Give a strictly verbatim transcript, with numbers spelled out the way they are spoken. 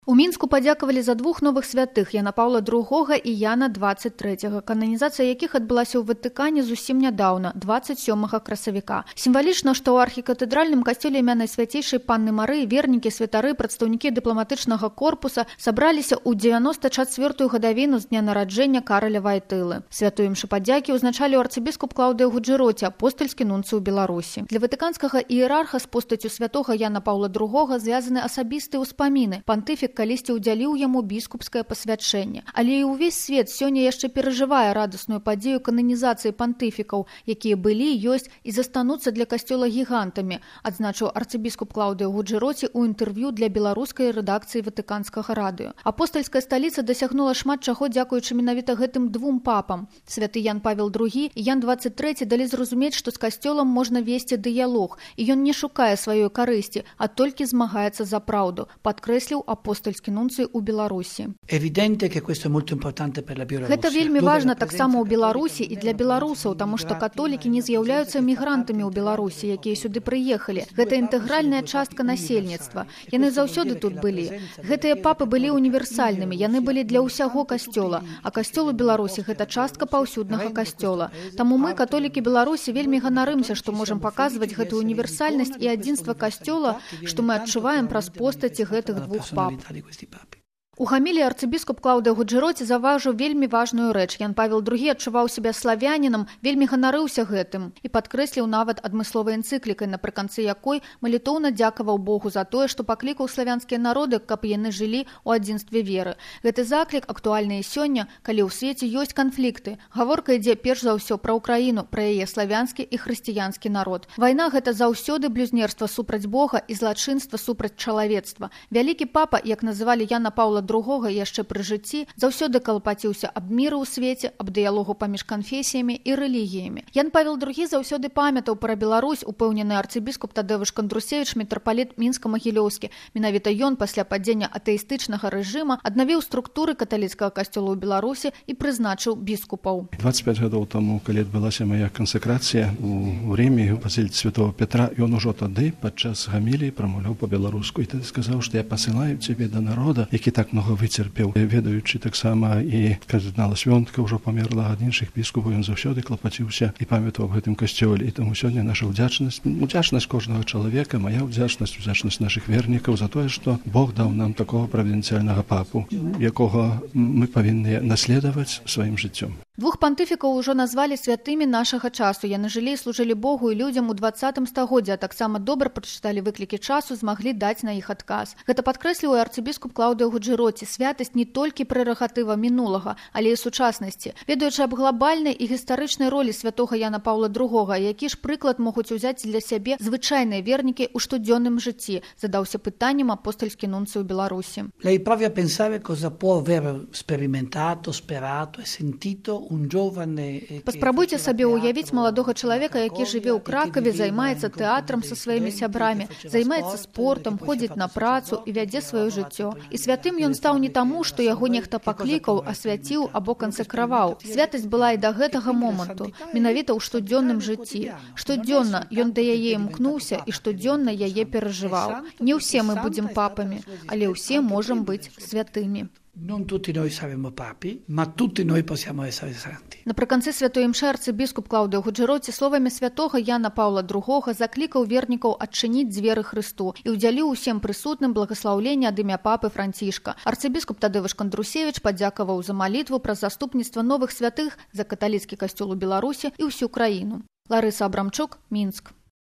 У Мінску падзякавалі за двух новых святых Яна Паўла другога і Яна дваццаць трэцяга, кананізацыя якіх адбылася ў Ватыкане зусім нядаўна, дваццаць сёмага красавіка. Сімвалічна, што ў архікатэдральным касцёле імя Найсвяцейшай Панны Марыі вернікі, святары, прадстаўнікі дыпламатычнага корпуса сабраліся ў дзевяноста чацвёртую гадавіну з дня нараджэння Караля Вайтылы. Святую імшу падзякі ўзначалі арцыбіскуп Клаўдыя Гуджэроці, апостальскі нунцый у Беларусі. Для ватыканскага іерарха з постаццю святога Яна Паўла другога звязаны асабістыя ўспаміны. Пантыфік калісьці ўдзяліў яму біскупскае пасвячэнне. Але і ўвесь свет сёння яшчэ перажывае радасную падзею кананізацыі пантыфікаў, якія былі, ёсць і застануцца для касцёла гігантамі, адзначыў арцыбіскуп Клаўдыя Гуджэроці ў інтэрв'ю для беларускай рэдакцыі ватыканскага радыё. Апостальская сталіца дасягнула шмат чаго дзякуючы менавіта гэтым двум папам. Святы Ян Павел другі і Ян дваццаць трэці далі зразумець, што з касцёлам можна весці дыялог, і ён не шукае сваёй карысці, а толькі змагаецца за праўду, падкрэсліў апостальскі нунцый у Беларусі. Гэта вельмі важна таксама ў Беларусі і для беларусаў, таму што католікі не з'яўляюцца мігрантамі ў Беларусі, якія сюды прыехалі. Гэта інтэгральная частка насельніцтва. Яны заўсёды тут былі. Гэтыя папы былі універсальнымі, яны былі для ўсяго касцёла, а касцёл у Беларусі гэта частка паўсюднага касцёла. Таму мы, католікі Беларусі, вельмі ганарымся, што можам паказваць гэтую універсальнасць і адзінства касцёла, што мы адчуваем праз постаці гэтых двух пап. У гамілі арцыбіскуп Клаўдыя Гуджэроці заўважыў вельмі важную рэч. Ян Павел другі адчуваў сябе славянінам, вельмі ганарыўся гэтым і падкрэсліў нават адмысловай энцыклікай, напрыканцы якой малітоўна дзякаваў Богу за тое, што паклікаў славянскія народы, каб яны жылі ў адзінстве веры. Гэты заклік актуальны і сёння, калі ў свеце ёсць канфлікты. Гаворка ідзе перш за ўсё пра Ўкраіну, пра яе славянскі і хрысціянскі народ. Вайна гэта заўсёды блюзнерства супраць Бога і злачынства супраць чалавецтва. Вялікі папа, як называлі Яна Паўла другога яшчэ пры жыцці, заўсёды калапаціўся аб міры ў свеце, аб дыялогу паміж канфесіямі і рэлігіямі. Ян Павел другі заўсёды памятаў пра Беларусь, упэўнены арцыбіскуп Тадэвыш Кандрусевіч, мітрапаліт мінска-магілёўскі. Менавіта ён пасля падзення атэістычнага рэжыма аднавіў структуры каталіцкага касцёла ў Беларусі і прызначыў біскупаў. дваццаць пяць гадоў таму, калі адбылася мая кансакрацыя ў Рыме у базіліцы святого Петра, ён ужо тады падчас гаміліі прамаўляў па-беларуску і тады сказаў, што я пасылаю цябе да народа, які так много выцерпеў, ведаючы таксама і кардынала Свёнтка ўжо памерла, ад іншых біскупаў ён заўсёды клапаціўся і памятаў аб гэтым касцёле. І таму сёння наша ўдзячнасць, удзячнасць кожнага чалавека, мая ўдзячнасць, удзячнасць нашых вернікаў за тое, што Бог даў нам такого правінцыяльнага папу, якога мы павінны наследаваць сваім жыццём. Двух пантыфікаў ужо назвалі святымі нашага часу. Яны жылі і служылі Богу і людзям у дваццатым стагоддзі, а таксама добра прачыталі выклікі часу, змаглі даць на іх адказ. Гэта падкрэсліў і арцыбіскуп Клаўдыя Гуджэроці. Святасць не толькі прэрагатыва мінулага, але і сучаснасці. Ведаючы аб глобальнай і гістарычнай ролі святога Яна Паўла другога, які ж прыклад могуць узяць для сябе звычайныя вернікі ў штодзённым жыцці, задаўся пытаннем апостальскі нунцый у Беларусі. Lei provi a pensare cosa può aver sperimentato, sperato e sentito un giovane. Паспрабуйце сабе ўявіць маладога чалавека, які жыве ў Кракаве, займаецца тэатрам са сваімі сябрамі, займаецца спортам, ходзіць на працу і вядзе сваё жыццё. І святым ён стаў не таму, што яго нехта паклікаў, асвяціў або кансакраваў. Святасць была і да гэтага моманту, менавіта ў штодзённым жыцці. Штодзённа ён да яе імкнуўся і штодзённа яе перажываў. Не ўсе мы будзем папамі, але ўсе можам быць святымі. Non tutti noi saremo papi, ma tutti noi possiamo essere santi. Напрыканцы святой імшы арцыбіскуп Клаўдыя Гуджэроці словамі святога Яна Паўла другога заклікаў вернікаў адчыніць дзверы Хрысту і ўдзяліў усім прысутным благаслаўленне ад імя папы Францішка. Арцыбіскуп Тадэвыш Кандрусевіч падзякаваў за малітву пра заступніцтва новых святых за каталіцкі касцёл у Беларусі і ўсю краіну. Ларыса Абрамчук, Мінск.